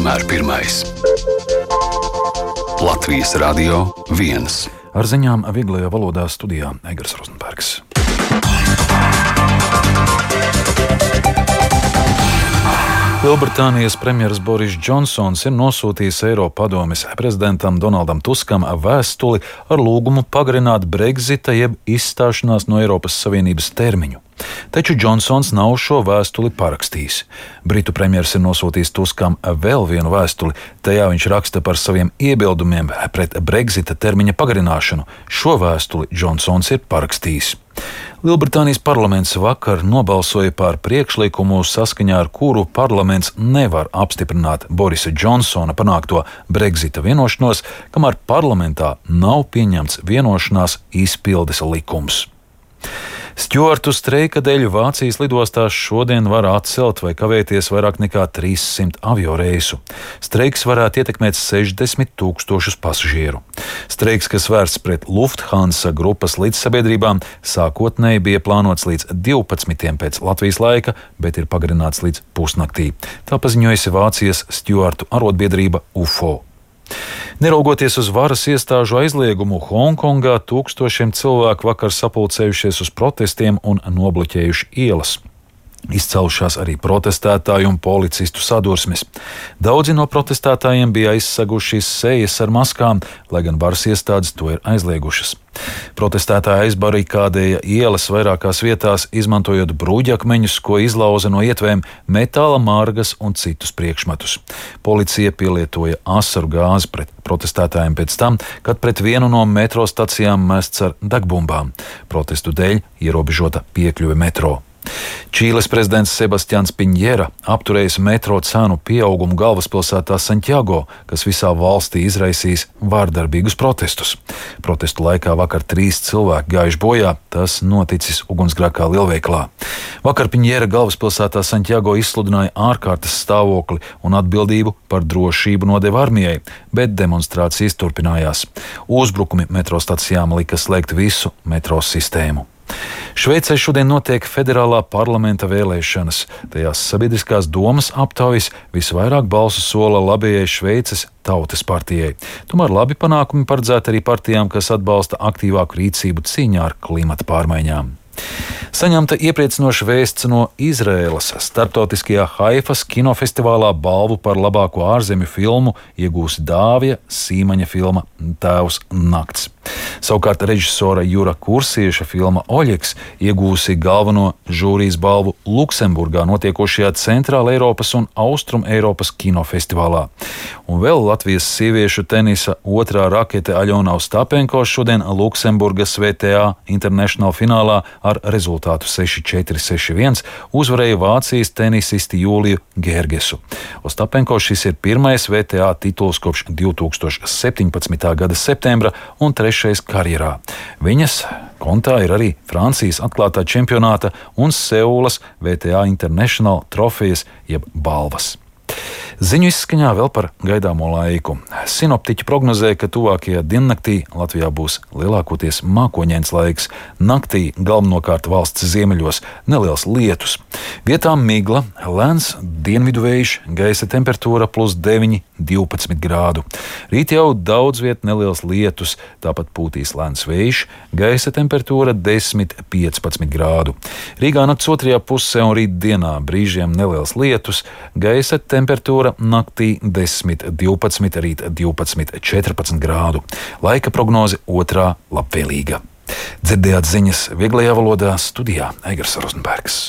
vienmēr pirmais. Latvijas Radio 1. Ar ziņām vieglajā valodā studijā Egars Rozenbergs. Lielbritānijas premjeras Boris Džonsons ir nosūtījis Eiropadomes prezidentam Donaldam Tuskam vēstuli ar lūgumu pagarināt Brexita jeb izstāšanās no Eiropas Savienības termiņu. Taču Džonsons nav šo vēstuli parakstījis. Britu premjers ir nosūtījis Tuskam vēl vienu vēstuli. Tajā viņš raksta par saviem iebildumiem pret Brexita termiņa pagarināšanu. Šo vēstuli Džonsons ir parakstījis. Lielbritānijas parlaments vakar nobalsoja par priekšlikumu, saskaņā ar kuru parlaments nevar apstiprināt Borisa Džonsona panākto Brexita vienošanos, kamēr parlamentā nav pieņemts vienošanās izpildes likums. Stjuartu streika dēļ Vācijas lidostās šodien var atcelt vai kavēties vairāk nekā 300 avioreisu. Streiks varētu ietekmēt 60,000 pasažieru. Streiks, kas vērsts pret Lufthansa grupas līdzsabiedrībām, sākotnēji bija plānots līdz 12. pēc Latvijas laika, bet ir pagarināts līdz pusnaktī. Tā paziņojusi Vācijas stjuartu arotbiedrība UFO. Neraugoties uz varas iestāžu aizliegumu, Hongkongā tūkstošiem cilvēku vakar sapulcējušies uz protestiem un nobloķējuši ielas. Izcēlušās arī protestētāju un policistu sadursmes. Daudzi no protestētājiem bija aizseguši sejas ar maskām, lai gan varas iestādes to ir aizliegušas. Protestētāji aizbarikādēja ielas vairākās vietās, izmantojot bruģakmeņus, ko izlauza no ietvēm, metāla margas un citus priekšmetus. Policija pielietoja asaru gāzi pret protestētājiem pēc tam, kad pret vienu no metro stacijām mests ar degbumbām. Protestu dēļ ierobežota piekļuve metro. Čīles prezidents Sebastians Piņera apturējis metro cenu pieaugumu galvaspilsētā Santiago, kas visā valstī izraisīs vārdarbīgus protestus. Protestu laikā vakar 3 cilvēki gājuši bojā, tas noticis ugunsgrēkā lielveikalā. Vakar Piņera galvaspilsētā Santiago izsludināja ārkārtas stāvokli un atbildību par drošību nodeva armijai, bet demonstrācijas turpinājās. Uzbrukumi metro stacijām lika slēgt visu metro sistēmu. Šveicē šodien notiek federālā parlamenta vēlēšanas. Tajās sabiedriskās domas aptaujas visvairāk balsu sola labējai Šveices Tautas partijai. Tomēr labi panākumi paredzēti arī partijām, kas atbalsta aktīvāku rīcību cīņā ar klimata pārmaiņām. Saņemta iepriecinoša vēsts no Izraēlas. Starptautiskajā Haifas kinofestivālā balvu par labāko ārzemju filmu iegūsi Dāvija Sīmaņa filma Tēvs nakts. Savukārt režisora Jura Kursieša filma Oļeks iegūsi galveno žūrijas balvu Luksemburgā notiekošajā Centrāla Eiropas un Austrum Eiropas kinofestivālā. Un vēl Latvijas sieviešu tenisa otrā rakete Aļona Ostapenko šodien Luksemburgas VTA International finālā ar rezultātu 6-4, 6-1 uzvarēja Vācijas tenisisti Jūliju Gergesu. Ostapenko šis ir pirmais VTA tituls kopš 2017. gada septembra un 3. karjerā. Viņas kontā ir arī Francijas atklātā čempionāta un Seulas VTA International trofejas jeb balvas. Ziņu izskaņā vēl par gaidāmo laiku. Sinoptiķi prognozē, ka tuvākajā diennaktī Latvijā būs lielākoties mākoņains laiks. Naktī galvenokārt valsts ziemeļos neliels lietus. Vietām migla, lēns dienvidu vējš, gaisa temperatūra +9, 12 grādu. Rīt jau daudz viet neliels lietus, tāpat pūtīs lēns vējš, gaisa temperatūra 10, 15 grādu. Rīgā nakts otrajā pusē un rīt dienā brīžiem neliels lietus, gaisa temperatūra naktī 10, 12, rīt 12, 14 grādu. Laika prognoze otrā labvēlīga. Dzirdējāt ziņas vieglajā valodā studijā Egars Rozenbergs.